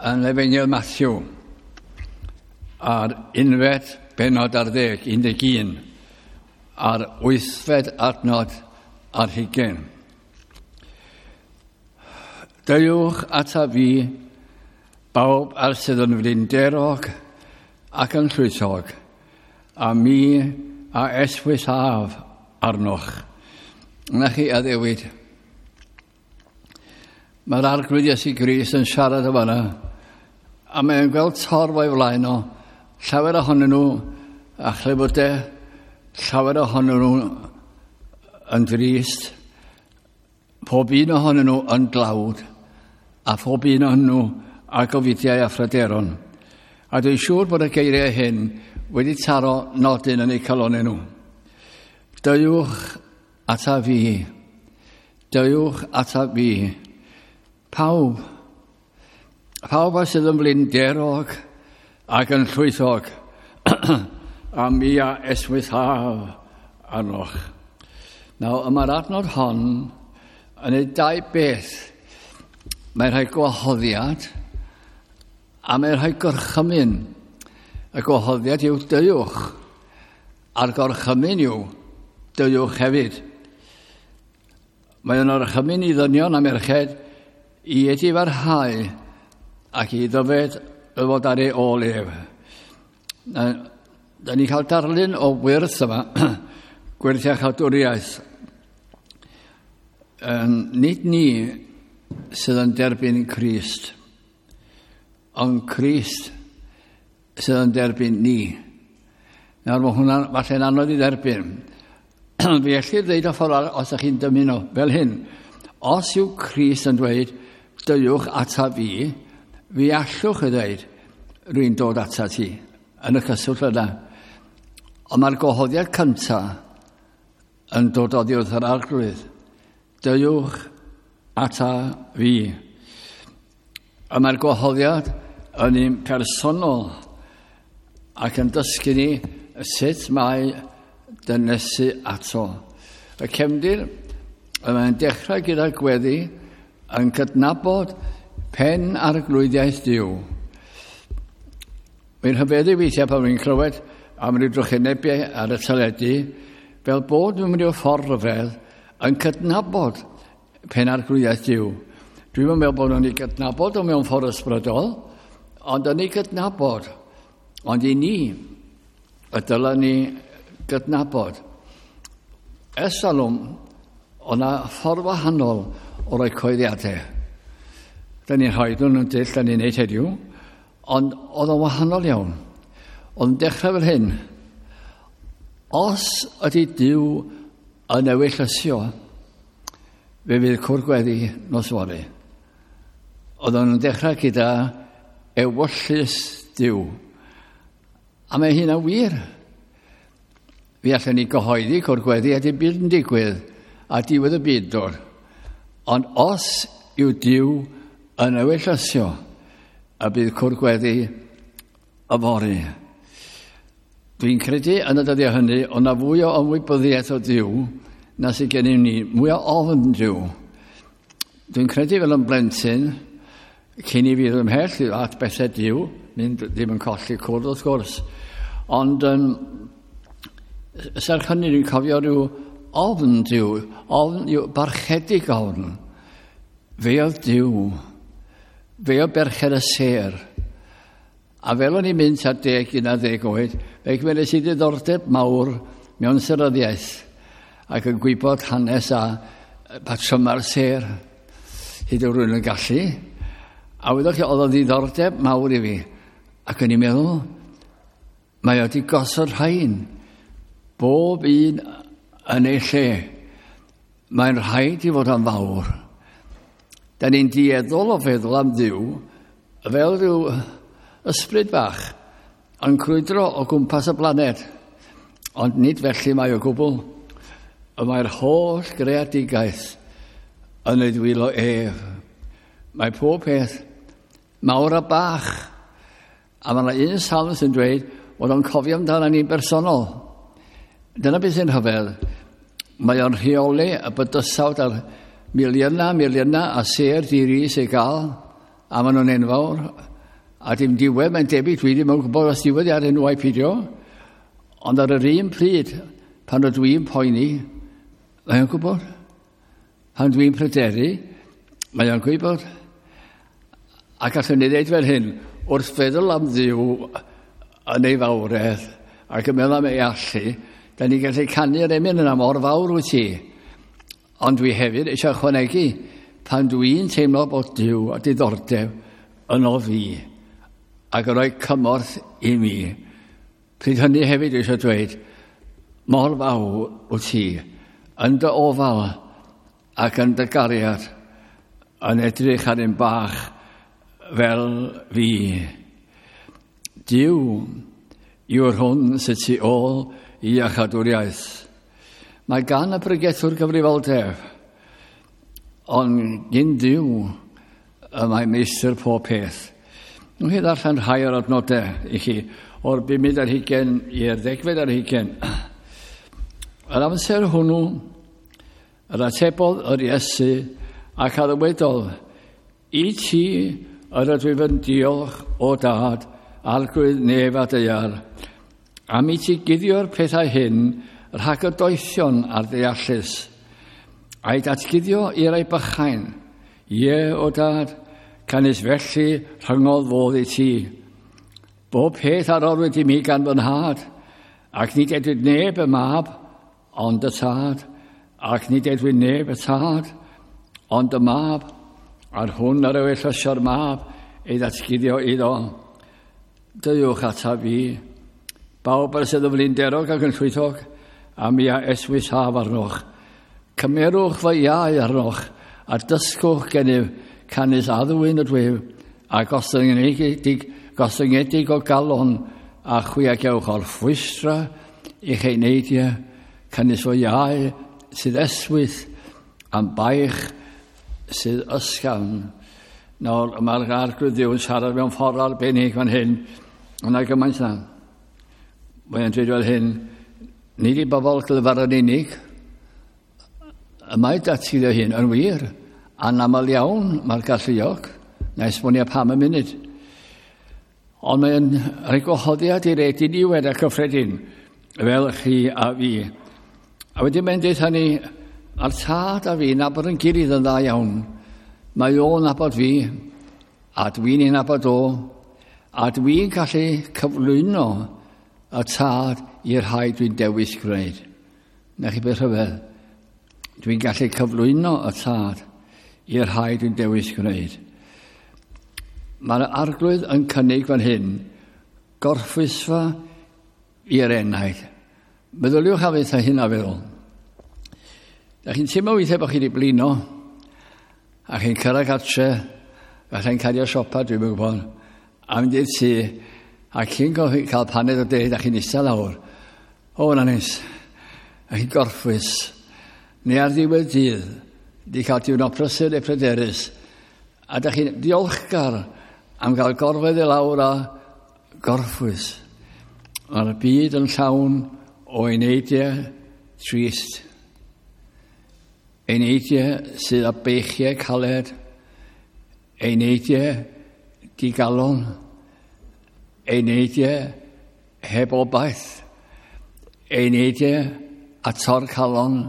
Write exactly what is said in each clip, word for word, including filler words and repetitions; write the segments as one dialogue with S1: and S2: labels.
S1: Yn Efengyl Mathew a'r unfed bennod ar ddeg, un deg un, a'r wythfed adnod ar hugain. Deuwch ata fi, bawb ar sydd yn flinderog ac yn llwythog, a mi a eswysaf arnoch. Na chi addewid. Mae'r Arglwydd Iesu Grist yn siarad o fanna, a mae'n gweld torf o'i flaen o, llawer ohonyn nhw a chlefydau, llawer ohonyn nhw yn drist, pob un ohonyn nhw yn dlawd, a phob un ohonyn nhw â gofidiau a phryderon. A dwi'n siŵr bod y geiriau hyn wedi taro nodyn yn eu calonnau nhw. Deuwch ata fi, deuwch ata fi. Pawb, pawb a sydd yn flinderog ac yn llwythog, a mi a esmwythaf arnoch. Nawr, mae'r adnod hon yn ei dau beth. Mae'n rhoi gwahoddiad a mae'n rhoi gorchymyn. Y gwahoddiad yw deuwch, a'r gorchymyn yw deuwch hefyd. Mae'n orchymyn i ddynion a merched i edifarhau ac i ddyfed y fod ar ei ôl ef. Da ni'n cael darlun o wyrth yma, gwyrth iachawdwriaeth. Nid ni sydd yn derbyn Crist, ond Crist sydd yn derbyn ni. Nawr mae hwnna'n falle'n anodd i dderbyn. Fe ellir ddeud o ffordd arall os ydych chi'n dymuno fel hyn. Os yw Crist yn dweud, deuwch ata fi, fi allwch ei ddweud, rwy'n dod ata ti, yn y cyswllt yna. Ond mae'r gwahoddiad cyntaf yn dod oddi wrth yr Arglwydd. Deuwch ata fi. A mae'r gwahoddiad yn un personol ac yn dysgu ni sut mae dynesu ato. Y cefndir, mae'n dechrau gyda gweddi yn cydnabod pen arglwyddiaeth Duw. Mae'n rhyfeddu weithiau pan wy'n clywed am ryw drychinebau ar y teledu, fel bod mewn ryw ffordd rhyfedd yn cydnabod pen arglwyddiaeth Duw. Dwi'm yn meddwl bod nhw'n ei gydnabod o mewn ffordd ysbrydol, ond yn ei gydnabod. Ond i ni, y dylen ni gydnabod. Ers talwm, o'na ffordd wahanol o roi coeddiadau. Da ni'n rhoi nhw'n yn dull, da ni'n neud heddiw, ond oedd o'n wahanol iawn. Oedd yn dechrau fel hyn. Os ydy Duw yn ewyllysio, fe fydd cwr gweddi nos fory. Oedd o'n dechrau gyda ewyllys Duw. A mae hynna'n wir. Fi allan ni gyhoeddi cwr gweddi a dim byd yn digwydd a diwedd y byd dod. Ond os yw Duw yn ewyllysio, y bydd cwr gweddi yfory. Dwi'n credu yn y dyddiau hynny, ond na fwy o ymwybyddiaeth o Duw na sydd gennym ni, mwy o ofn Duw. Dwi'n credu fel yn blentyn, cyn i fi ddod ymhell at bethau Duw, mynd ddim yn colli cwrdd wrth gwrs, ond um, serch hynny dwi'n cofio rhyw ofn Duw, ofn yw barchedig ofn. Fe oedd Duw, fe oedd berchen y sêr. A fel o'n i'n mynd at deg, un ar ddeg oed, fe gymeres i ddiddordeb mawr mewn seryddiaeth ac yn gwybod hanes a patryma'r sêr, hyd yn rhywun yn gallu. A wyddoch chi, oedd o'n ddiddordeb mawr i fi. Ac o'n i'n meddwl, mae o wedi gosod rhain, bob un yn ei lle. Mae'n rhaid i fod yn fawr. Da ni'n dueddol o feddwl am Dduw fel rhyw ysbryd bach yn crwydro o gwmpas y blaned. Ond nid felly mae o gwbl. Y mae'r holl greadigaeth yn ei ddwylo ef. Mae pob peth mawr a bach. A mae yna un salm sy'n dweud bod o'n cofio amdano ni'n bersonol. Dyna beth sy'n rhyfedd. Mae o'n rheoli y bydysawd ar miliynau, miliynau a sêr di-ri sy'n gael. a maen nhw'n enfawr, a dim diwedd, mae'n debyg, dwi ddim yn gwybod os diwedd ar enw ai peidio, ond ar yr un pryd, pan ydw i'n poeni, mae o'n gwybod. Pan dwi'n pryderu, mae o'n gwybod. A gallwn ni ddeud fel hyn, wrth feddwl am Dduw yn ei fawredd, ac yn meddwl am ei allu, da ni'n gallu canu'r emyn yna mor fawr wyt ti. Ond dwi hefyd eisiau ychwanegu, pan dwi'n teimlo bod Duw a diddordeb yno fi, ac yn rhoi cymorth i mi, pryd hynny hefyd eisiau dweud, mor fawr wyt ti, yn dy ofal ac yn dy gariad, yn edrych ar un bach fel fi. Duw yw'r hwn sydd tu ôl i iachadwriaeth. Mae gan y pregethwr gyfrifoldeb, ond gyn Duw y mae meistr pob peth. Nwch chi ddarllen rhai o'r adnodau i chi, o'r bumed ar hugain i'r ddegfed ar hugain. Yr amser hwnnw, yr atebodd yr Iesu ac a ddywedodd, i ti yr ydw i yn diolch o dad, arglwydd nef a daear, am i ti guddio'r pethau hyn rhag y doethion a'r deallus, a'i datguddio i'r rhai bychain. Ie, o dad, canys felly rhyngodd fodd i ti. Bob peth a roddwyd i mi gan fy nhad, ac nid edwyd neb y mab, ond y tad, ac nid edwyd neb y tad, ond y mab, a'r hwn ar ewyllysio'r mab ei ddatguddio iddo. Deuwch ataf fi, bawb ar sydd yn flinderog ac yn llwythog, a mi a eswysaf arnoch. Cymerwch fy iau arnoch, a dysgwch gennyf, canys addwyn ydwyf, a gostyngedig, gostyngedig o galon, a chwi a gewch orffwystra i'ch eneidiau, canys fy iau sydd eswyth, am baich sydd ysgafn. Nawr, mae'r arglwydd Dduw yn siarad mewn ffordd arbennig fan hyn, ond na gymaint na. Mae'n dweud fel hyn, nid i bobl glyfar yn unig, y mae datguddio hyn yn wir, anaml iawn mae'r galluog, na esbonio pam y munud. Ond mae'n rhoi gwahoddiad i'r edyn niwed a cyffredin, fel chi a fi. A wedyn mae'n dweud ni, a'r tad a fi nabod yn gilydd yn dda iawn. Mae o'n nabod fi, a dwi'n ei nabod o, a dwi'n gallu cyflwyno y tad i'r rhai dwi'n dewis gwneud. Na chi beth rhyfedd? Dwi'n gallu cyflwyno y tad i'r rhai dwi'n dewis gwneud. Mae'r arglwydd yn cynnig fan hyn gorffwysfa i'r enaid. Meddyliwch am eitha hyn a feddwl. Da chi'n teimlo weithiau bod chi wedi blino, a chi'n cyrraedd gartre, falle'n cario siopa, dwi'n gwybod, a mynd i'r tŷ, a cyn cael paned o de, da chi'n eistedd lawr. O, na neis. A chi'n gorffwys. Neu ar ddiwedd dydd, di cael diwrnod prysur neu pryderus, a da chi'n diolchgar am gael gorfedd i lawr a gorffwys. Mae'r byd yn llawn o eneidiau trist. Eneidiau sydd â beichiau caled, eneidiau digalon, eneidiau heb obaith, eneidiau a tor calon,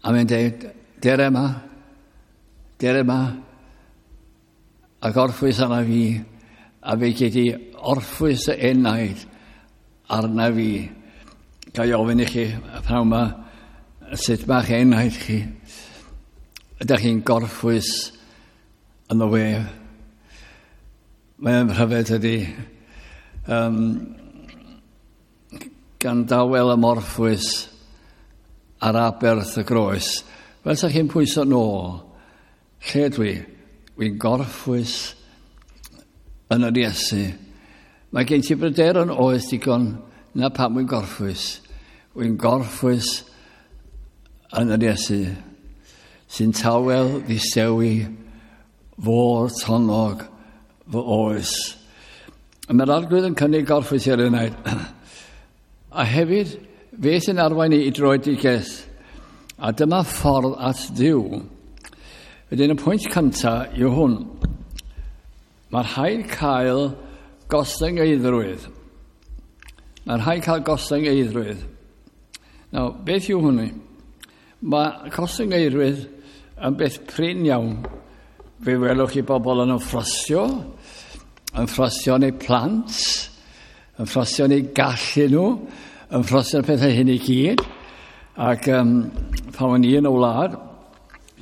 S1: a mae'n dweud, dere yma, dere yma, a gorffwys arna fi, a fe gei di orffwys y enaid arna fi. Ga i ofyn i chi y pnawn yma, sut mae'ch enaid chi? Ydych chi'n gorffwys yn y we? Mae'n rhyfedd ydy. Um, gan dawel ymorffwys ar aberth y groes. Fel sa chi'n pwyso nôl, lle dwi? Wy'n gorffwys yn yr Iesu. Mae gen ti bryderon oes digon na pam wy'n gorffwys. Wy'n gorffwys yn yr Iesu, sy'n tawel ddistewi fôr tonnog fy oes. Mae'r arglwydd yn cynnig gorffwys i'r enaid. A hefyd, fe sy'n arwain i i dröedigaeth. A dyma ffordd at Dduw. Wedyn y pwynt cyntaf yw hwn. Mae rhaid cael gostyngeiddrwydd. Mae rhaid cael gostyngeiddrwydd. Nawr, beth yw hwnny? Mae gostyngeiddrwydd yn beth prin iawn. Fe welwch chi bobl yn ymffrostio, yn ffrostio yn eu plant, yn ffrostio yn eu gallu nhw, yn ffrostio'r pethau hyn i gyd. Ac um, pan o'n i yn y wlad,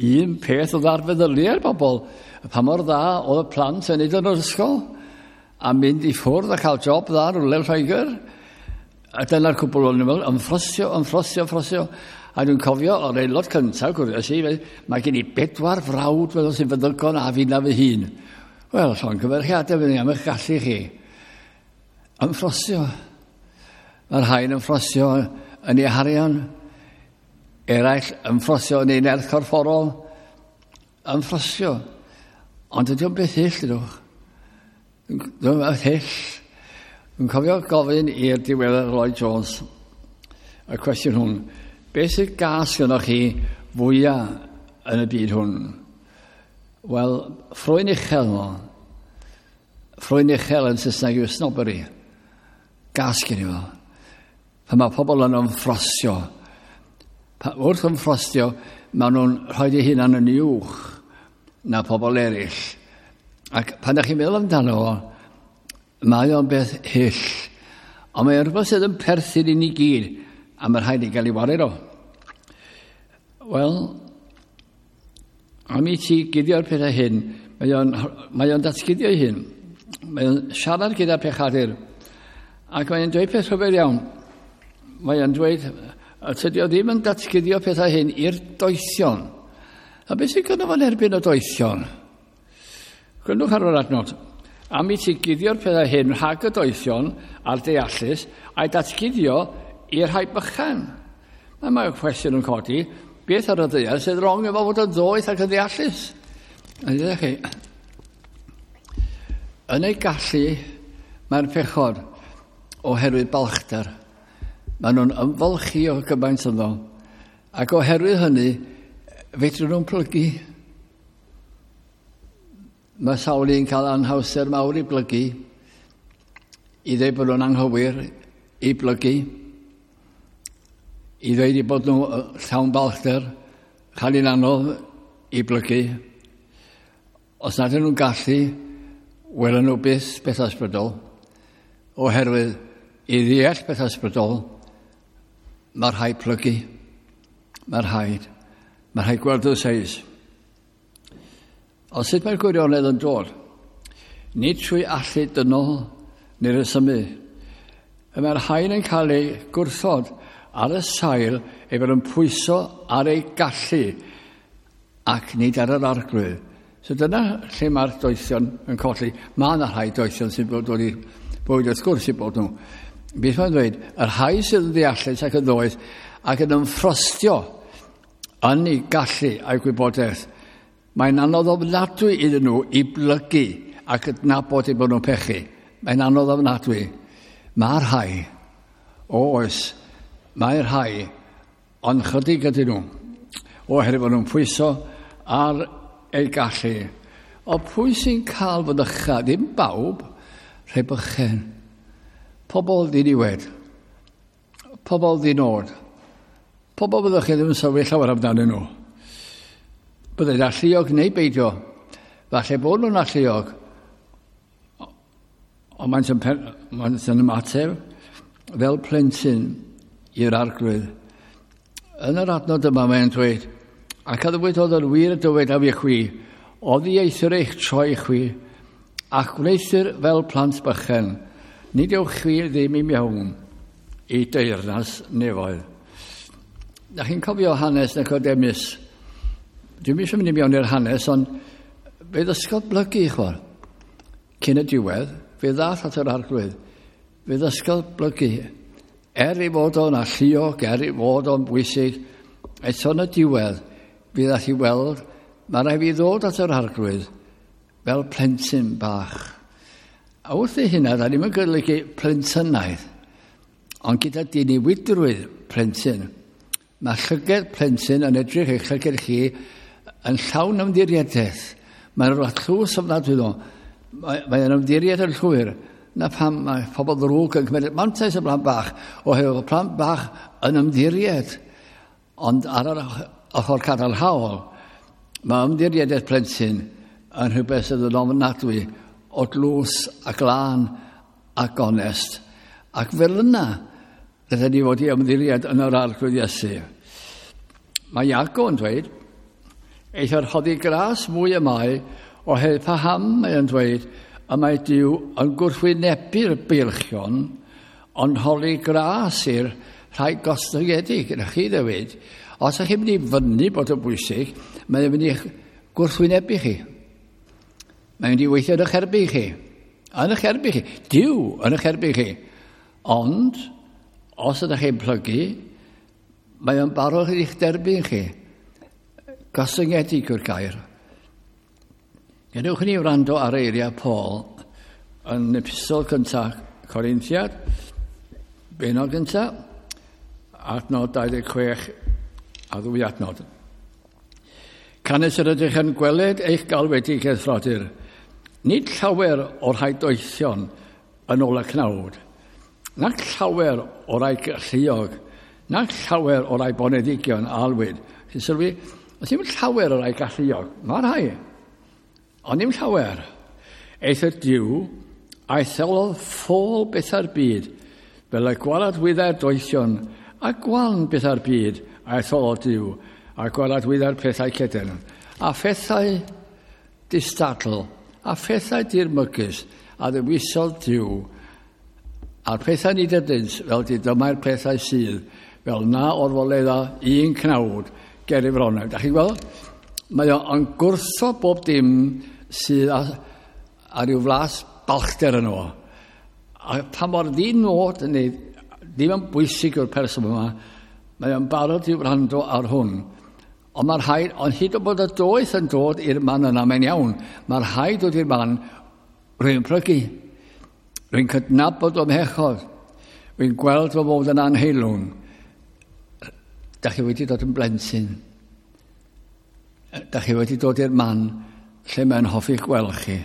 S1: un peth oedd ar feddyliau'r bobl, pa mor dda oedd y plant yn neud yn yr ysgol, a mynd i ffwrdd a cael job dda rhywle yn Lloegr. A dyna'r cwbl o'n i'n ymffrostio, ymffrostio, ymffrostio. A dwi'n cofio o'r aelod cyntaf, gwrdd i, mae gen i bedwar frawd fel sy'n feddygon a fi na fy hun. Wel, llongyfarchiadau fydd am eich gallu chi. Ymffrostio. Mae'r rhain ymffrostio yn ei harian, eraill ymffrostio yn ei nerth corfforol, ymffrostio. Ond ydy o'n beth hyll, dydwch. Dwi'n beth hyll. Dwi'n cofio gofyn i'r diweddar Lloyd Jones y cwestiwn hwn. Beth sydd gas gynnwch chi fwyaf yn y byd hwn? Wel, ffrwyn uchel mo. Ffrwyn uchel yn Saesneg yw snobbery. Gas gen i fo. Pan mae pobl yn ymffrostio. Wrth ymffrostio, maen nhw'n rhoi eu hunan yn uwch na pobl eraill. Ac pan ydych chi'n meddwl amdano fo, mae o'n beth hyll. Ond mae o'n rhywbeth sydd yn perthyn i ni gyd, a mae rhaid i gael ei wared o. Wel, am i ti guddio'r pethau hyn, mae o'n, mae o'n datguddio ei hun. Mae o'n siarad gyda'r pechadur. Ac mae'n dweud peth rhyfedd iawn. Mae o'n dweud, tydi o ddim yn datguddio pethau hyn i'r doethion. A beth sy'n gynno fo'n erbyn y doethion? Gwrandwch ar yr adnod. Am i ti guddio'r pethau hyn rhag y doethion a'r deallus, a'i datguddio i'r rhai bychan. Mae mae'r cwestiwn yn codi, beth ar y ddaear sydd wrong efo fod yn ddoeth ac yn ddeallus? A ddweud chi, yn ei gallu mae'r pechod oherwydd balchder. Maen nhw'n ymfalchio gymaint ynddo. Ac oherwydd hynny, fedrwn nhw'n plygu. Mae sawl un cael anhawster mawr i blygu, i ddweud bod nhw'n anghywir, i blygu, i ddweud i bod nhw llawn balchder, cael un anodd i blygu. Os nad ydyn nhw'n gallu, welen nhw byth beth ysbrydol, oherwydd i ddeall beth ysbrydol, mae rhaid plygu, mae rhaid, mae rhaid gweld y seis. Ond sut mae'r gwirionedd yn dod? Nid trwy allu dynol neu resymu. Mae'r rhain yn cael ei gwrthod ar y sail ei fod yn pwyso ar ei gallu ac nid ar yr arglwydd. So dyna lle mae'r doethion yn colli. Mae yna rhai doethion sy'n dod i bywyd wrth gwrs i bod nhw. Beth mae'n dweud? Y rhai sydd yn ddeallus ac yn ddoeth ac yn ymffrostio yn ei gallu a'i gwybodaeth. Mae'n anodd ofnadwy iddyn nhw i blygu ac adnabod eu bod nhw'n pechu. Mae'n anodd ofnadwy. Mae'r rhai, o oes, mae'r rhai, ond chydig ydyn nhw, oherwydd bod nhw'n pwyso ar ei gallu. O pwy sy'n cael fod ycha? Ddim bawb, rhai bychen. Pobl ddiniwed. Pobl ddinod. Pobl byddwch chi ddim yn sylwi llawer amdanyn nhw. Byddai'n alluog neu beidio. Falle bod nhw'n alluog. Ond maent yn, maent yn ymateb fel plentyn i'r arglwydd. Yn yr adnod yma mae'n dweud, ac a ddywedodd yn wir y dywedaf i chwi, oddi eithr eich troi chwi, ac wneuthur fel plant bychen, nid ewch chwi ddim i mewn i deyrnas nefoedd. Da chi'n cofio hanes Nicodemus? Dwi'm eisiau mynd i mewn i'r hanes, ond fe ddysgodd blygu, chwar. Cyn y diwedd, fe ddath at yr arglwydd. Fe ddysgodd blygu. Er ei fod o'n alluog, er ei fod o'n bwysig, eto yn y diwedd, fe ddath i weld, mae rhaid fi ddod at yr arglwydd fel plentyn bach. A wrth ei hynna, da ni'n golygu plentynaidd, ond gyda diniwydrwydd plentyn. Mae llyged plentyn yn edrych eich llyged chi yn llawn ymddiriedaeth. Mae'n rhywbeth tlws ofnadwy ddo. Mae, mae'n ymddiried yn llwyr. Na pam mae pobl ddrwg yn cymryd mantais y plant bach, oherwydd plant bach yn ymddiried. Ond ar yr ochr cadarnhaol, mae ymddiried plentyn yn rhywbeth sydd yn ofnadwy o dlws a glân ac onest. Ac fel yna, rydyn ni fod i ymddiried yn yr Arglwydd Iesu. Mae Iago yn dweud, eithr rhoddi gras mwy y mae, oherwydd paham mae yn dweud, y mae Duw yn gwrthwynebu'r beilchion, ond holi gras i'r rhai gostyngedig. Na chi ddewid, os ydych chi'n mynd i fyny bod yn bwysig, mae'n mynd i gwrthwynebu chi. Mae'n mynd i weithio yn eich erbyn chi. Yn eich erbyn chi. Duw yn eich erbyn chi. Ond, os ydych chi'n plygu, mae o'n barod i'ch derbyn chi. Gostyngedig yw'r gair. Gadewch i ni wrando ar eiriau Paul yn epistol cyntaf Corinthiad, benod gyntaf, adnod dau ddeg chwech a ddwy adnod. Canys yr ydych yn gweled eich galwedigaeth, frodyr, nid llawer o'r rhai doethion yn ôl y cnawd, nac llawer o'r rhai galluog, nac llawer o'r rhai boneddigion a alwyd. Chi'n sylwi, os ddim llawer o'r rhai galluog, mae rhai, ond ddim llawer. Eithr Duw a etholodd ffôl bethau'r byd, fel y gwaradwyddau'r doethion, a gwan bethau'r byd a etholodd Duw, a gwaradwyddau'r pethau cedyrn, a phethau distadl, a phethau dirmygus, a ddewisodd Duw, a'r pethau nid ydynt, fel didymau'r pethau sydd, fel na orfoledda un cnawd ger ei fronau. Da chi'n gweld? Mae o'n gwrtho bob dim sydd a, a rhyw flas balchder yn o. A pa mor ddinod, neu ddim yn bwysig yw'r person yma, mae o'n barod i wrando ar hwn. Ond mae'r rhaid, ond hyd o bod y doeth yn dod i'r man yna, mae'n iawn, mae'r rhaid dod i'r man, rwy'n plygu, rwy'n cydnabod o'm hechod, rwy'n gweld fy mod yn anheilwng. Da chi wedi dod yn blentyn. Da chi wedi dod i'r man lle mae'n hoffi gweld chi.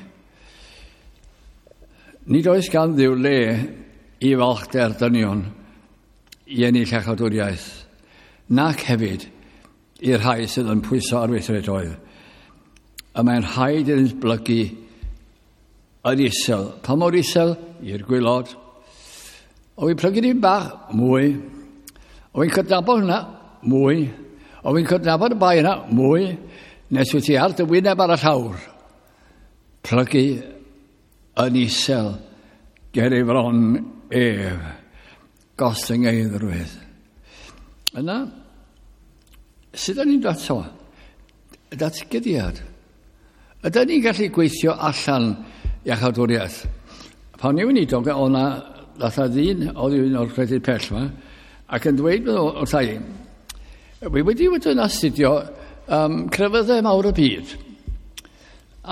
S1: Nid oes gan Dduw le i falchder dynion i ennill iachawdwriaeth, nac hefyd i'r rhai sydd yn pwyso ar weithredoedd. Y mae'n rhaid iddynt blygu yn isel. Pa mor isel? I'r gwaelod. O fi'n plygu dim bach? Mwy. O fi'n cydnabod hwnna? Mwy. O fi'n cydnabod y bai yna? Mwy. Nes wyt ti ar dy wyneb ar y llawr. Plygu yn isel ger ei fron ef. Gostyngeiddrwydd. Yna, sut ydyn ni'n dod ato? Datguddiad. Ydyn ni'n gallu gweithio allan iachawdwriaeth? Pan i weinidog, oedd yna ddath ddyn oedd un o'r gwledydd pell yma, ac yn dweud wrtha i, wi wedi wedi yn astudio um, crefyddau mawr y byd,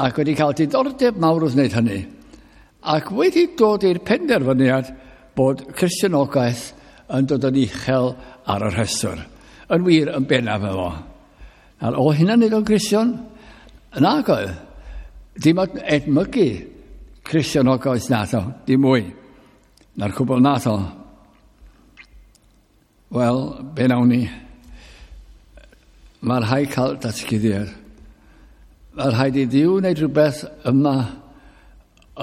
S1: ac wedi cael diddordeb mawr wrth wneud hynny, ac wedi dod i'r penderfyniad bod Cristnogaeth yn dod yn uchel ar y rhestr. Yn wir, yn bennaf efo. Nawr, o hynna'n neud o'n Gristion? Nag oedd. Dim ond edmygu Cristnogaeth nath o, dim mwy. Na'r cwbl nath o. Wel, be nawn ni? Mae'r rhaid cael datguddiad. Mae'r rhaid i Dduw wneud rhywbeth yma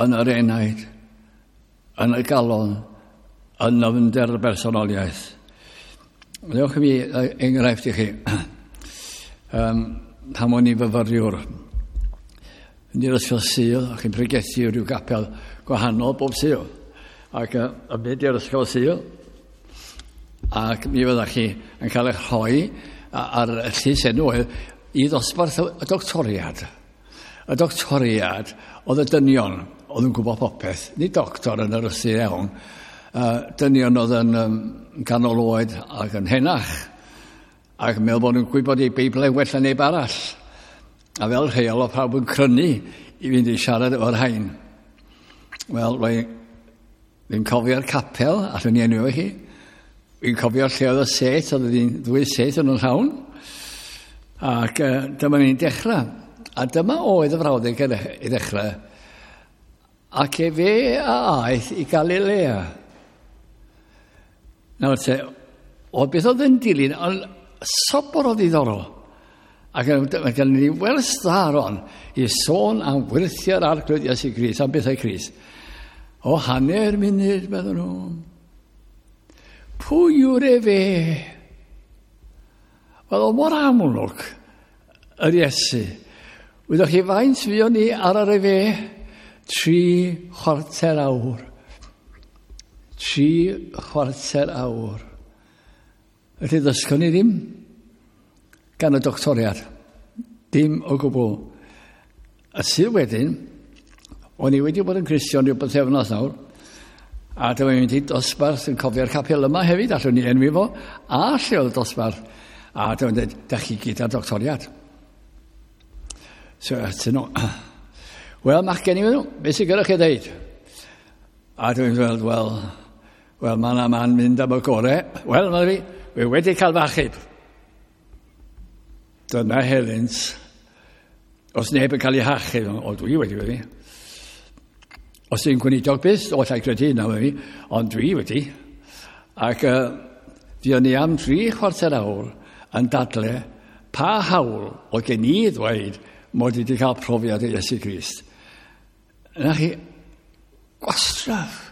S1: yn yr enaid, yn y galon, yn nyfnder y bersonoliaeth. Dewch i mi enghraifft i chi. Um, pan o'n i fyfyriwr, yn i'r ysgol Sul, ac yn pregethu rhyw gapel gwahanol bob Sul. Ac uh, yn mynd i'r ysgol Sul, ac mi fyddach chi yn cael eich rhoi ar y llys enw oedd i ddosbarth y doctoriad. Y doctoriad oedd y dynion oedd yn gwybod popeth, nid doctor yn yr ystyr iawn, uh, dynion oedd yn um, ganol oed ac yn henach, ac yn meddwl bod nhw'n gwybod eu Beiblau well na neb arall. A fel rheol oedd pawb yn crynu i fynd i siarad efo'r rhain. Wel, rwy'n cofio'r capel, allwn ni enw chi. Fi'n cofio lle oedd y set, oedd hi'n ddwy set yn y llawn. Ac uh, dyma ni'n dechrau. A dyma oedd y frawddeg i ddechrau. Ac efe a aeth i Galilea. Nawr te, o beth oedd yn dilyn, ond sobor o ddiddorol. Ac mae gen ni wers dda ron i sôn am wyrthiau'r Arglwydd Iesu Grist, am bethau Crist. O hanner munud, meddwl nhw. Pwy yw'r efe? Wel, o mor amlwg yr Iesu. Wyddoch chi faint fuon ni ar yr efe? Tri chwarter awr. Tri chwarter awr. Felly ddysgon ni ddim gan y doctoriad. Dim o gwbl. A sydd wedyn, o'n i wedi bod yn Cristion rhyw bythefnos nawr, a dyma i'n mynd i dosbarth yn cofio'r capel yma hefyd, allwn ni enwi fo, a lle oedd y dosbarth. A dyma'n dweud, da chi gyda'r doctoriad. So, atyn nhw, wel, machgen i nhw, beth sy'n gyda chi ddeud? A dwi'n dweud, wel, wel, mae yna man mynd am y gore. Wel, mae fi, fi wedi cael fy achub. Dyna helynt. Os neb yn cael ei hachub, o, dwi wedi wedi. Os yw'n gweinidog byth, o, llai credu hynna fi, ond dwi wedi. Ac uh, fuon ni am tri chwarter awr yn dadle pa hawl oedd gen i ddweud mod i wedi cael profiad o Iesu Grist. Na chi, gwastraff.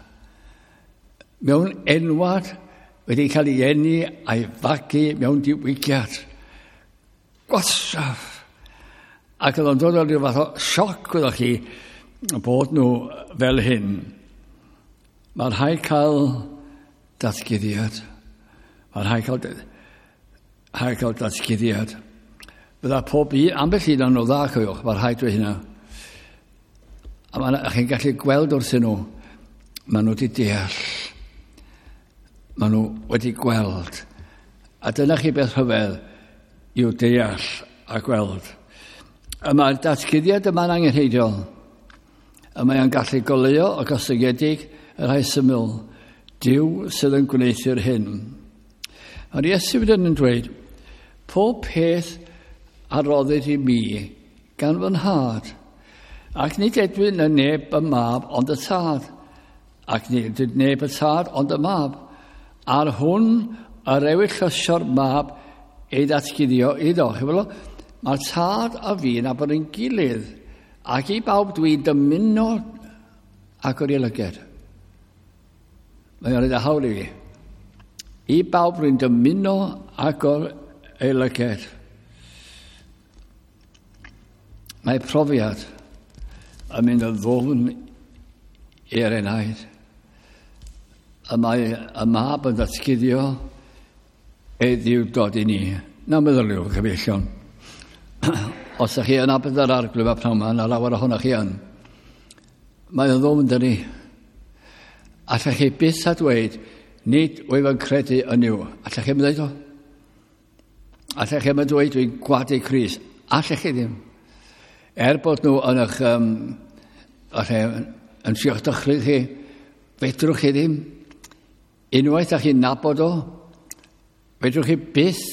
S1: Mewn enwad wedi cael ei eni a'i fagu mewn diwygiad. Gwastraff. Ac oedd o'n dod o ryw fath o sioc, wyddoch chi, bod nhw fel hyn. Mae'n rhaid cael datguddiad. Mae'n rhaid cael, rhaid cael datguddiad. Fydda pob un, ambell un o'n nhw dda, cofiwch, mae'n rhaid dweud hynna. A ma' chi'n gallu gweld wrthyn nhw, maen nhw wedi deall. Maen nhw wedi gweld. A dyna chi beth rhyfedd i'w deall a gweld. A mae'r datguddiad yma'n angenrheidiol. A mae'n gallu goleuo o gostyngedig y rhai syml. Duw sydd yn gwneuthur hyn. Mae'r Iesu wedyn yn dweud, pob peth a roddid i mi gan fy nhad. Ac nid edwyn y neb y mab ond y tad. Ac nid neb y tad ond y mab. A'r hwn yr ewyllysio'r mab ei ddatguddio iddo. Chi'n mae'r tad a fi yn nabod ein gilydd, ac i bawb dwi'n dymuno agor ei lyged. Mae'n rhaid y hawl i fi. I bawb dwi'n dymuno agor ei lyged. Mae profiad yn mynd yn ddwfn i'r enaid. Y mae y mab yn datguddio ei ddiwdod i ni. Na meddyliwch, cyfeillion. Os ydych chi yn nabod yr Arglwydd a pnawn yma, na lawer ohonoch chi yn. Mae o'n ddwfn dyn ni. Allech chi byth a dweud, nid wyf yn credu yn Nuw. Allech chi ddim dweud o? Allech chi ddim dweud dwi'n gwadu Crist? Allech chi ddim. Er bod nhw yn eich, um, yn trio'ch dychryn chi, fedrwch chi ddim. Unwaith â chi'n nabod o, fedrwch chi byth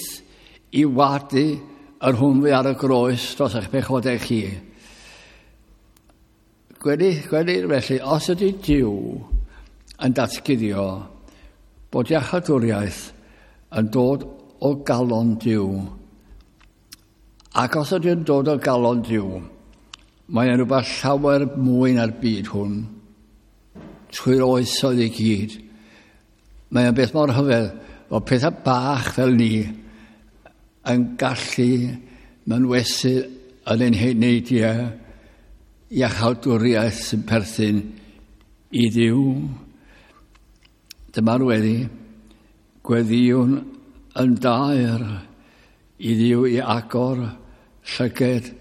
S1: i wadu yr hwn fu ar y groes dros eich pechodau chi. Gweli, gweli felly, os ydy Duw yn datguddio bod iachawdwriaeth yn dod o galon Duw, ac os ydy'n dod o galon Duw, mae'n rhywbeth llawer mwy na'r byd hwn, trwy'r oesoedd i gyd. Mae'n beth mor rhyfedd o pethau bach fel ni yn gallu mynwesu yn ein heneidiau iachawdwriaeth sy'n perthyn i Dduw. Dyma'r weddi, gweddïwn yn daer i Dduw i agor llyged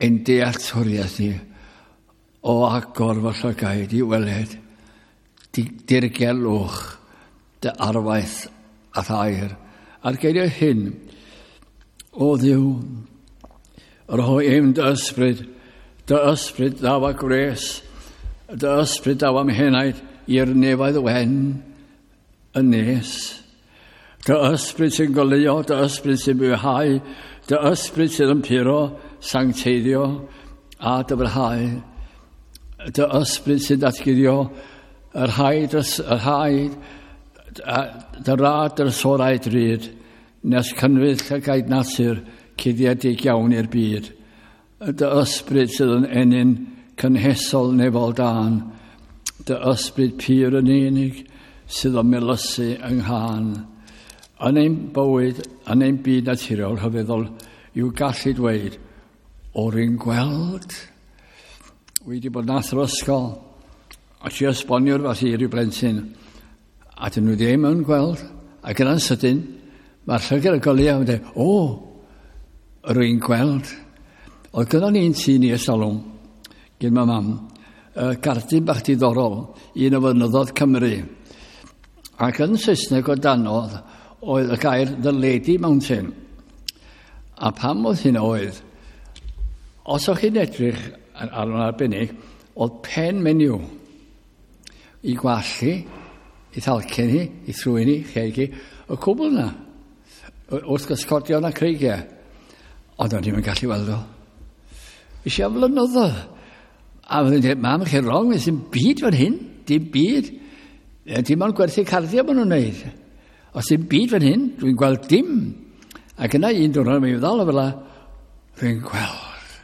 S1: ein dealltwriaeth ni o agor fy llygaid i weled dirgelwch dy arwaith a thair. A'r geiriau hyn, o Dduw, rhoi im dy ysbryd, dy ysbryd ddaw a gwres, dy ysbryd ddaw am henaid i'r nefoedd wen yn nes. Dy ysbryd sy'n goleuo, dy ysbryd sy'n bywhau, dy ysbryd sydd yn puro, sancteiddio a dyfrhau. Dy ysbryd sy'n datguddio yr haid, yr haid, dy rad drysorau drud, nes cynfydd llygaid natur cuddiedig iawn i'r byd. Dy ysbryd sydd yn ennyn cynhesol nefol dân, dy ysbryd pur yn unig sydd yn melysu yng nghân. Yn ein bywyd, yn ein byd naturiol rhyfeddol, yw gallu dweud, o'r un gweld. Wedi bod yn athro ysgol, a ti esbonio rhywbeth i ryw blentyn, a dyn nhw ddim yn gweld, ac yna'n sydyn, mae'r llygad y goleuo yn dweud, o, rwy'n gweld. Oedd gyda ni'n tŷ ni ers talwm, gyn ma mam, uh, gardyn bach diddorol, un o fynyddoedd Cymru. Ac yn Saesneg o danodd oedd y gair The Lady Mountain. A pam oedd hyn oedd, os o'ch chi'n edrych ar, ar yn arbennig, oedd pen menyw i gwallt, i thalcen hi, i thrwyn hi, cheg hi, y cwbl yna, wrth gysgodion a creigiau. Ond o'n i'n gallu weld o. Eisiau flynyddoedd. A fydden i'n dweud, mam, chi'n wrong, dim byd fan hyn, dim byd. Dim ond gwerthu cardiau maen nhw'n wneud. Os dim byd fan hyn, dwi'n gweld dim. Ac yna un diwrnod, mae'n ddal o fel la, dwi'n gweld.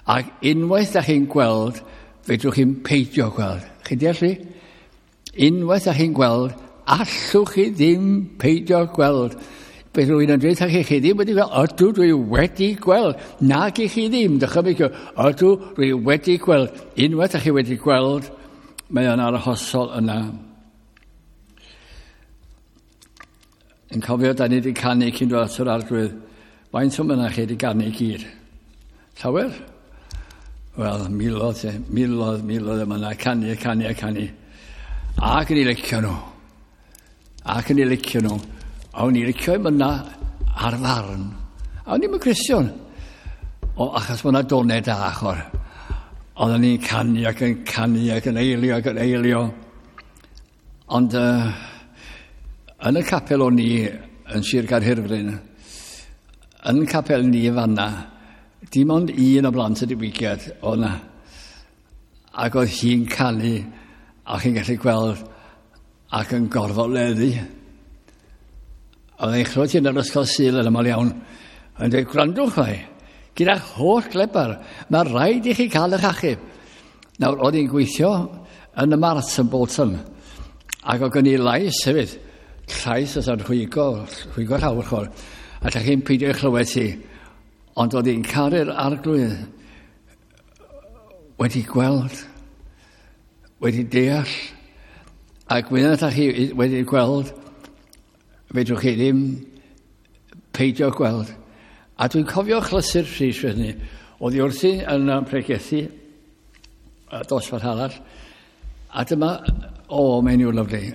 S1: Ac unwaith da chi'n gweld, fedrwch chi'n peidio gweld. Chi'n deall fi? Unwaith da chi'n gweld, allwch chi ddim peidio gweld. Beth rwy'n yn dweud chi, chi ddim wedi gweld, ydw dwi wedi gweld. Nag i chi ddim, dychymyg, ydw dwi wedi gweld. Unwaith da chi wedi gweld, mae o'n arhosol yna. Yn cofio, da ni wedi canu cyn dod at yr Arglwydd. Faint o myna chi wedi ganu i gyd? Llawer? Wel, miloedd, miloedd, miloedd yma yna, canu, canu, canu. Ac yn ei licio nhw. Ac yn ei licio nhw. A o'n i licio i myna ar farn. A o'n i'n Cristion. O, achos mae yna donau da achor. Oedden ni'n canu ac yn canu ac yn eilio ac yn eilio. Ond uh, yn y capel o'n i yn Sir Gaerhirfryn, yn capel ni fanna, dim ond un o blant y diwygiad oedd yna. Ac oedd hi'n canu a chi'n gallu gweld ac yn gorfoleddu. Oedd e'n chlywed hi yn yr ysgol Sul yn aml iawn. Yn dweud, gwrandwch fai, gyda'ch holl glebar, mae rhaid i chi cael eich achub. Nawr, oedd hi'n gweithio yn y Mart yn Bolton, ac oedd gen i lais hefyd, llais oedd yn rhwygo, rhwygo llawr chwr, a llach chi'n peidio ei chlywed hi. Ond oedd hi'n caru'r Arglwydd wedi gweld, wedi deall, ac wedyn ydych chi wedi gweld, fedrwch chi ddim peidio gweld. A dwi'n cofio chlysur Rhys hynny. Oedd hi wrthi yn pregethu dosbarth arall. A dyma, o, menyw lyfli,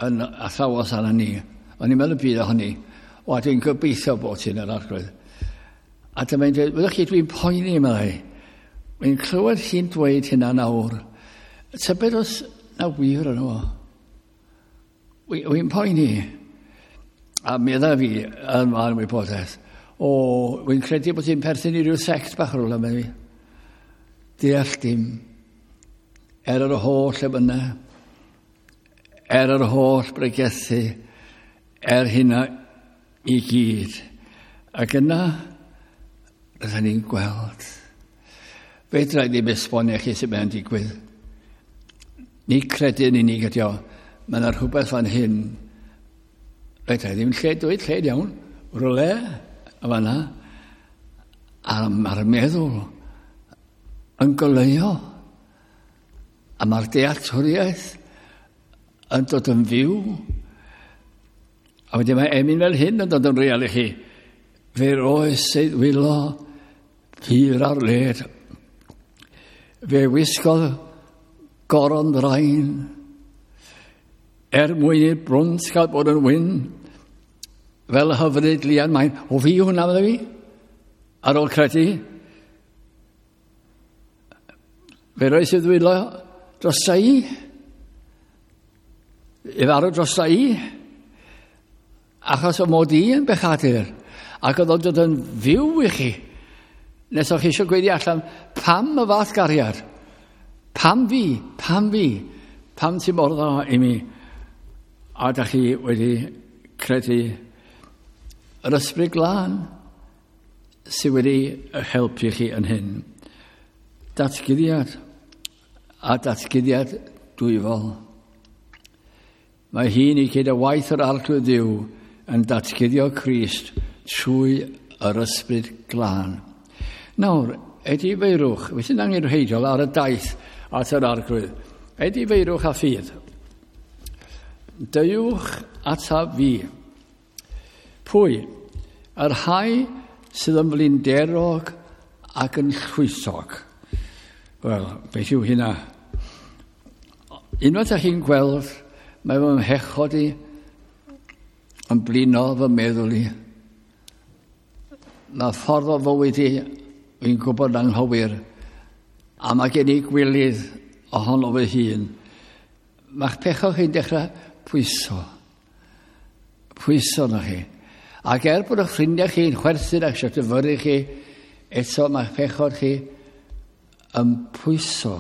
S1: yn athrawos arna ni. O'n i'n meddwl y byd ohoni. O, a dwi'n gobeithio bod ti'n yr Arglwydd. A dyma'n dweud, wyddwch chi, dwi'n poeni, meddai. Dwi'n clywed hi'n dweud hynna nawr. Tybed os na wir yn o. Wy'n poeni. A medda fi yn ma'n wybodaeth. O, wy'n credu bod hi'n perthyn i ryw sect bach rhywle, medda fi. Deall dim. Er yr holl emynau, er yr holl bregethu, er hynna i gyd. Ac yna, rydyn ni'n gweld. Fedra i ddim esbonio chi sut mae'n digwydd. Ni credu'n unig ydi o. Mae yna rhywbeth fan hyn. Fedra i ddim lle dweud lle iawn. Rhywle, a fanna. A mae'r meddwl yn goleuo. A mae'r dealltwriaeth yn dod yn fyw. A wedyn mae emyn fel hyn yn dod yn real i chi. Fe roes ei ddwylo hir ar led. Fe wisgodd goron ddrain. Er mwyn i'r brwnt gael bod yn wyn. Fel hyfryd lian main. O fi hwnna fydde fi? Ar ôl credu. Fe roes ei ddwylo drosta i. I farw drosta i. Achos o mod i yn bechadur. Ac oedd o'n dod yn fyw i chi. Nes o'ch chi eisiau gweiddi allan, pam y fath gariad? Pam fi? Pam fi? Pam ti mor dda i mi? A da chi wedi credu yr Ysbryd Glân sydd wedi helpu chi yn hyn. Datguddiad a datguddiad dwyfol. Mae hi'n i gyda waith yr Arglwydd Dduw yn datguddio Crist trwy yr Ysbryd Glân. Nawr, edifeirwch, fe sy'n angenrheidiol ar y daith at yr Arglwydd. Edifeirwch a ffydd. Deuwch ataf fi. Pwy? Yr rhai sydd yn flinderog ac yn llwysog. Wel, beth yw hynna? Unwaith â chi'n gweld, mae fy mhechod i yn blino fy meddwl i. Mae ffordd o fywyd i, fi'n gwybod anghywir, a mae gen i gwilydd ohono fy hun. Mae'ch pechod chi'n dechrau pwyso. Pwyso na chi. Ac er bod eich ffrindiau chi'n chwerthin ac eisiau dyfyru chi, eto mae'ch pechod chi yn pwyso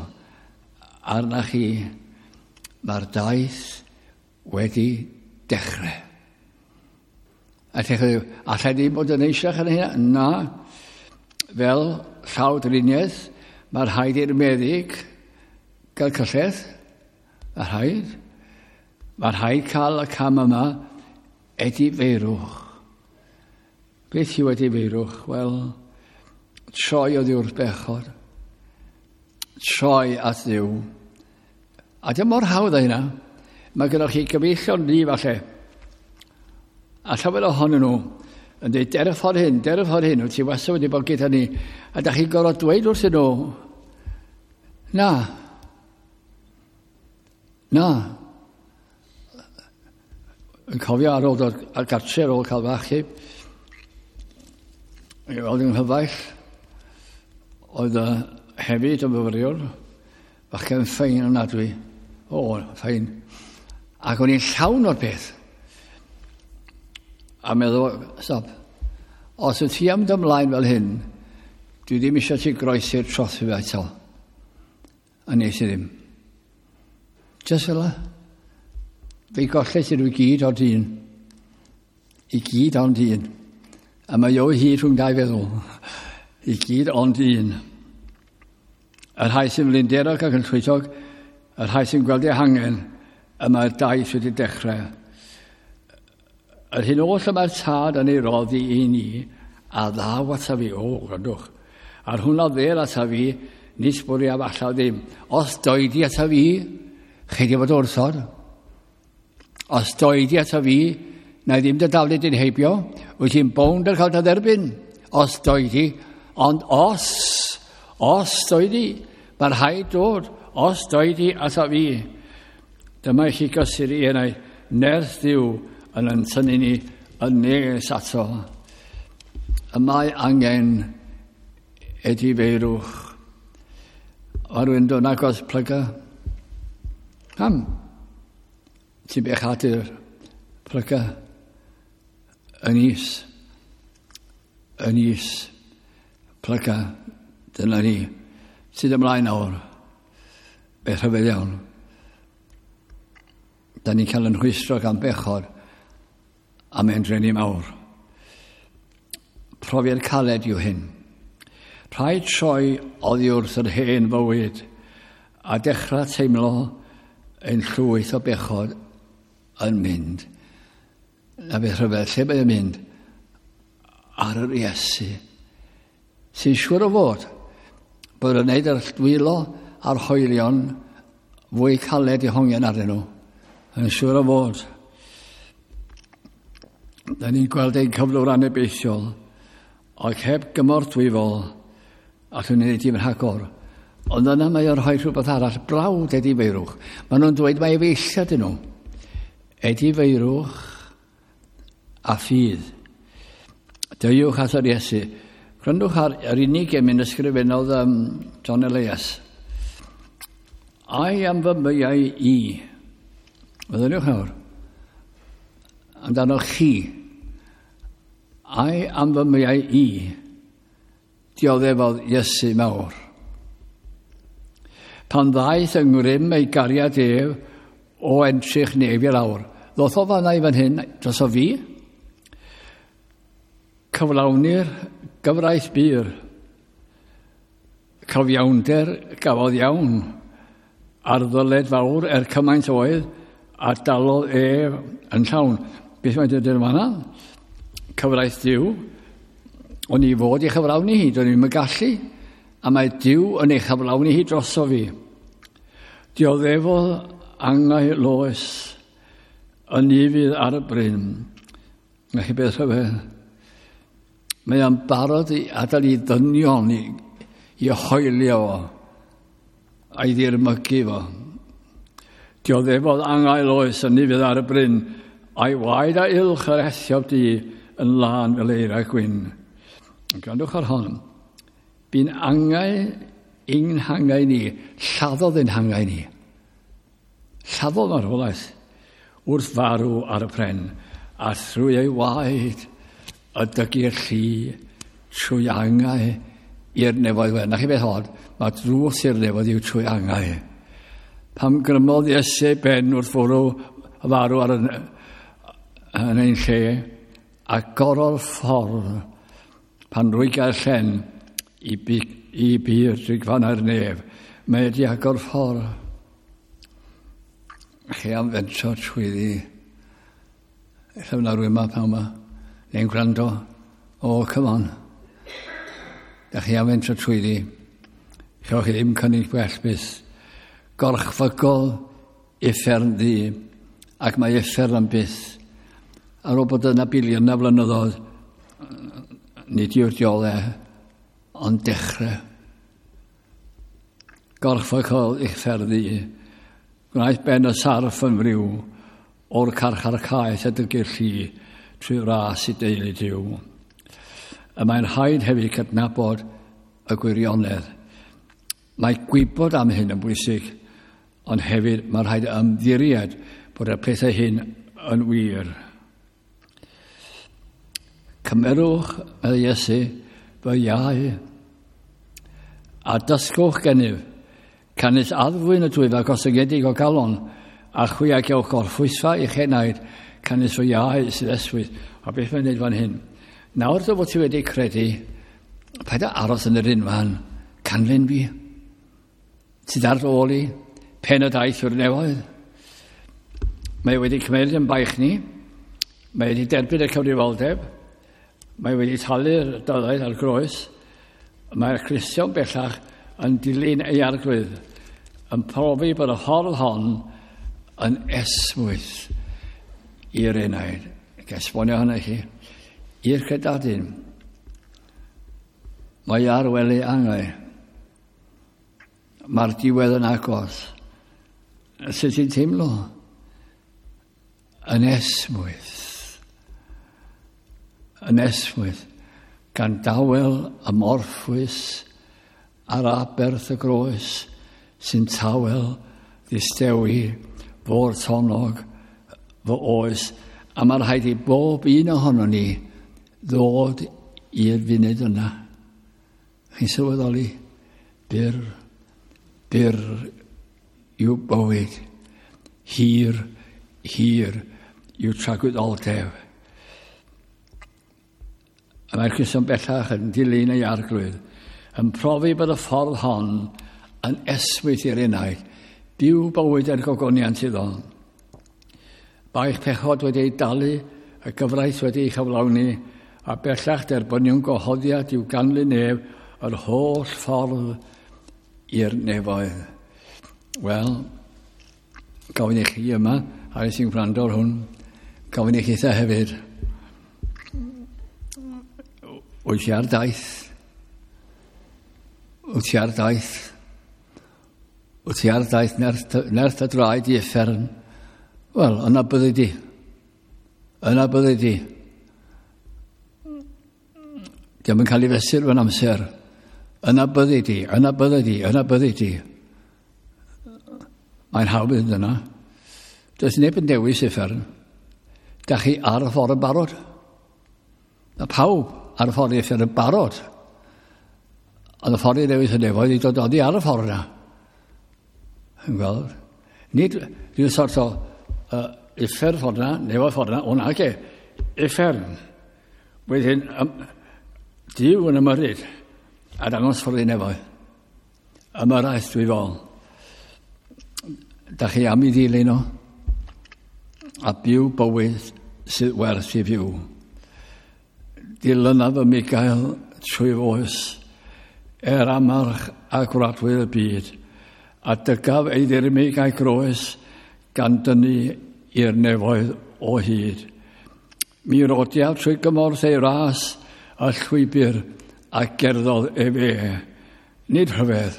S1: arna chi. Mae'r daith wedi dechrau. A dechrau, allai ddim bod yn eisiau yn hynna? Na. Fel llawdriniaeth, mae rhaid i'r meddyg gael cyllell. Mae rhaid. Mae rhaid cael y cam yma edifeirwch. Beth yw edifeirwch? Wel, troi oddi wrth bechod. Troi at Dduw. A dim mor hawdd â hynna. Mae gennych chi gyfeillion ni falle. A llawer ohonyn nhw yn dweud, der y ffordd hyn, der y ffordd hyn, wyt ti wastad wedi bod gyda ni. A da chi'n gorfod dweud wrthyn nhw, na, na. Yn cofio ar ôl dod ar gartre ar ôl cael fach i, i weld yng nghyfaill, oedd hefyd yn fyfyriwr, bachgen ffein ofnadwy. O, ffein. Ac o'n i'n llawn o'r peth. A meddwl, stop, os wyt ti am ymlaen fel hyn, dwi ddim eisiau ti groesi'r trothwy eto. A nes i ddim. Just fel la. Fe golles i nhw i gyd ond un. I gyd ond un. A mae o hyd rhwng dau feddwl. I gyd ond un. Y rhai sy'n flinderog ac yn llwythog, y rhai sy'n gweld eu hangen, y mae'r daith wedi dechrau. Yr hyn oll y mae'r tad yn ei roddi i ni, a ddaw ata fi, o, gwrandwch. A'r hwnna ddel ata fi, nis bwriaf allan ddim. Os doedi ata fi, chi di fod wrthod. Os doedi ata fi, na i ddim dy daflu di'n heibio, wyt ti'n bownd ar cael dy dderbyn. Os doedi, ond os, os doedi, mae'r rhaid dod, os doedi ata fi. Dyma i chi gysur i enau, nerth Dduw yn yn tynnu ni yn nes ato. Y mae angen edifeirwch. Mae rhywun dod agos plyga. Pam? Ti'n bechadur plyga yn is. Yn is. Plyga. Dyna ni. Sydd ymlaen nawr. Beth rhyfedd iawn. Da ni'n cael yn rhwystro gan bechod a mae'n drueni mawr. Profiad caled yw hyn. Rhaid troi oddi wrth yr hen fywyd a dechrau teimlo ein llwyth o bechod yn mynd. Na beth rhyfedd, lle mae yn mynd? Ar yr Iesu. Sy'n siŵr o fod bod yn gwneud yr dwylo a'r hoelion fwy caled i hongian arnyn nhw. Yn siŵr o fod. Da ni'n gweld ein cyflwr anobeithiol, ac heb gymorth dwyfol, allwn ni wneud dim rhagor. Ond yna mae o'n rhoi rhywbeth arall, brawd edifeirwch. Maen nhw'n dweud mai efeilliad ydyn nhw. Edifeirwch a ffydd. Deuwch at yr Iesu. Gwrandwch ar yr unig emyn ysgrifennodd um, John Elias. Ai am fy meiau i. Meddyliwch nawr. Amdano chi. Ai am fy meiau i. Dioddefodd Iesu mawr. Pan ddaeth yng ngrym ei gariad ef o entrych nef i lawr. Ddoth o fanna i fan hyn dros o fi. Cyflawni'r gyfraith bur. Cyfiawnder gafodd iawn ar ddyled fawr er cymaint oedd a dalodd ef yn llawn. Beth mae'n dweud yn fanna? Cyfraith Duw. O'n i fod i chyflawni hi, do'n i'm yn gallu, a mae Duw yn ei chyflawni hi droso fi. Dioddefodd angau loes yn ufudd ar y bryn. Na chi beth rhyfedd? Mae o'n barod i adael i ddynion i, i hoelio fo a'i ddirmygu fo. Dioddefodd angau loes yn ufudd ar y bryn, a'i waed a ylch yr ethiop du yn lân fel eira gwyn. Gwrandwch ar hon. Bu'n angau ein hangau ni, lladdodd ein hangau ni. Lladdodd marwolaeth wrth farw ar y pren, a thrwy ei waed y dygu'r llu trwy angau i'r nefoedd wen. Na chi beth od, mae drws i'r nefoedd yw trwy angau. Pam grymodd Iesu ben wrth fwrw farw ar yn, yn ein lle, agorodd ffordd pan rwyga'r llen i, bu, i bu'r drigfannau'r nef. Mae wedi agor ffordd. Chi am fentro trwyddi. Ella fyna rhywun yma pan yma. Neu'n gwrando. O, oh, come on. Da chi am fentro trwyddi. Chewch chi ddim cynnig gwell byth. Gorchfygol uffern ddu. Ac mae uffern am byth. Ar ôl bod yna biliynau flynyddoedd, nid yw'r diole, ond dechrau. Gorchfygol uffern ddu. Gwnaeth ben y sarff yn friw o'r carchar caeth a dygu'r llu trwy ras i deulu Duw. Y mae'n rhaid hefyd cydnabod y gwirionedd. Mae gwybod am hyn yn bwysig, ond hefyd mae'n rhaid ymddiried bod y pethau hyn yn wir. Cymerwch, meddai Iesu, fy iau, a dysgwch gennyf, canys addfwyn y dwyf ac ostyngedig o galon, a chwi a gewch gorffwysfa i'ch enaid, canys fy iau sydd eswydd. A beth mae'n neud fan hyn? Nawr dy fod ti wedi credu, paid â aros yn yr unfan, canlyn fi. Sydd ar ôl i, pen y daith yw'r nefoedd. Mae wedi cymryd yn baich ni, mae wedi derbyn y cyfrifoldeb, mae wedi talu'r dyled ar groes, mae'r Cristion bellach yn dilyn ei arglwydd, yn profi bod y ffordd hon yn esmwyth i'r enaid. Ac esbonio hynny i chi. I'r credadun, mae ar wely angau. Mae'r diwedd yn agos. Sut ti'n teimlo? Yn esmwyth. Yn esmwyth. Gan dawel y morffwys ar aberth y groes sy'n tawel ddistewi fo'r tonog fy oes. A mae'n rhaid i bob un ohono ni ddod i'r funud yna. Chi'n sylweddoli? Byr, byr yw bywyd. Hir, hir yw tragwyddoldeb. A mae'r Cristion bellach yn dilyn ei arglwydd, yn profi bod y ffordd hon yn esmwyth i'r enaid, byw bywyd er gogoniant iddo. Baich pechod wedi ei dalu, y gyfraith wedi ei chyflawni, a bellach derbyniwn gwahoddiad i'w ganlyn nef yr holl ffordd i'r nefoedd. Wel, gofyn i chi yma, a sy'n gwrando ar hwn, gofyn i chi eitha hefyd. Wyt ti ar daith? Wyt ti ar daith? Wyt ti ar daith nerth, nerth y draed i uffern? Wel, yna byddi di. Yna byddi di. Dio'm yn cael ei fesur fewn amser. Yna byddi di, yna byddi di, yna byddi di. Mae'n hawdd mynd yna. Does neb yn dewis uffern. Da chi ar y ffordd yn barod. Mae pawb ar y ffordd i uffern yn barod. Ond y ffordd i ddewis y nefoedd i dod oddi ar y ffordd yna. Yn gweld? Nid rhyw sort o uh, uffern ffordd yna, nefoedd ffordd yna, o na ge, uffern. Wedyn, um, Duw yn ymyrryd a dangos ffordd i nefoedd. Ymyrraeth dwi fol. Da chi am i ddilyn o a byw bywyd sydd werth i fyw. Dilynaf y Michael trwy oes, er amarch a gwradwydd y byd, a dygaf ei ddirmyg a'i groes gan dynnu i'r nefoedd o hyd. Mi rodiaf trwy gymorth ei ras a llwybr a gerddodd ef e. Nid rhyfedd,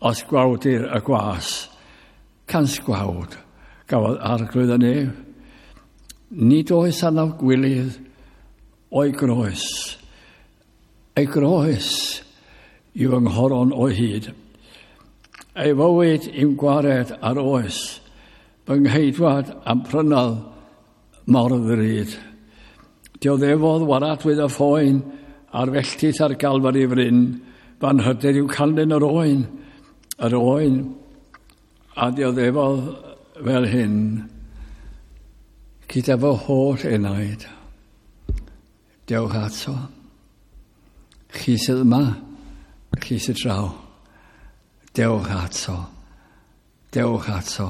S1: os gwawdir y gwas, cans gwawd gafodd arglwydd y nef. Nid oes anaf gwilydd o'i groes. Ei groes yw yng nghoron o hyd. Ei fywyd i'w gwared ar oes, fy ngheidwad am prynodd mor ddrud. Dioddefodd waradwydd y phoen a'r felltith ar Galfari fryn, fan hyder i'w canlyn yr oen, yr oen, a dioddefodd fel hyn, gyda fy holl enaid. Dewch ato. Chi sydd yma, chi sydd draw. Dewch ato. Dewch ato.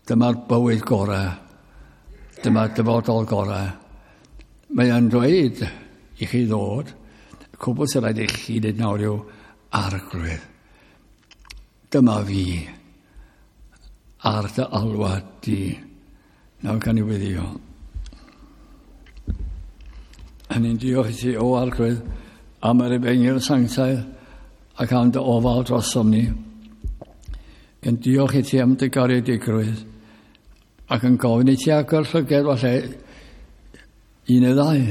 S1: Dyma'r bywyd gorau. Dyma'r dyfodol gorau. Mae o'n dweud i chi ddod, cwbl sy'n rhaid i chi wneud nawr yw arglwydd. Dyma fi ar dy alwad di. Nawr gan i weddio. A ni'n diolch i ti, o arglwydd, am yr efengyl sanctaidd ac am dy ofal drosom ni. Yn diolch i ti am dy garedigrwydd ac yn gofyn i ti agor llyged falle un neu ddau,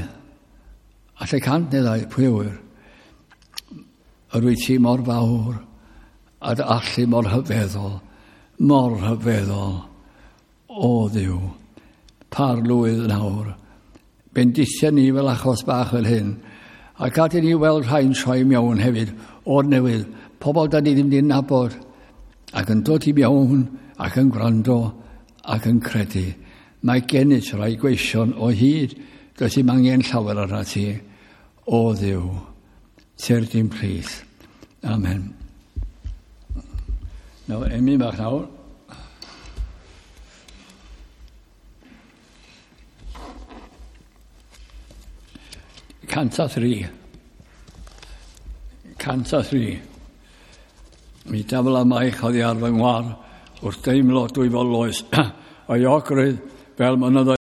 S1: alle cant neu ddau, pwy yw'r. Yr wyt ti mor fawr a dy allu mor hyfeddol, mor hyfeddol, o Dduw, parlwydd nawr. Bendithia ni fel achos bach fel hyn, a gad i ni weld rhai'n troi mewn hefyd, o'r newydd, pobl da ni ddim di'n nabod, ac yn dod i mewn, ac yn gwrando, ac yn credu. Mae gennyt rai gweision o hyd, does dim angen llawer arna ti, o Dduw, tyrd i'n plith. Amen. Nawr, emyn bach nawr. Cant a thri. Cant a thri. Mi dafl am eich oddi ar fy ngwar wrth deimlo dwyfol loes. O'i ogrwydd fel mynyddoedd.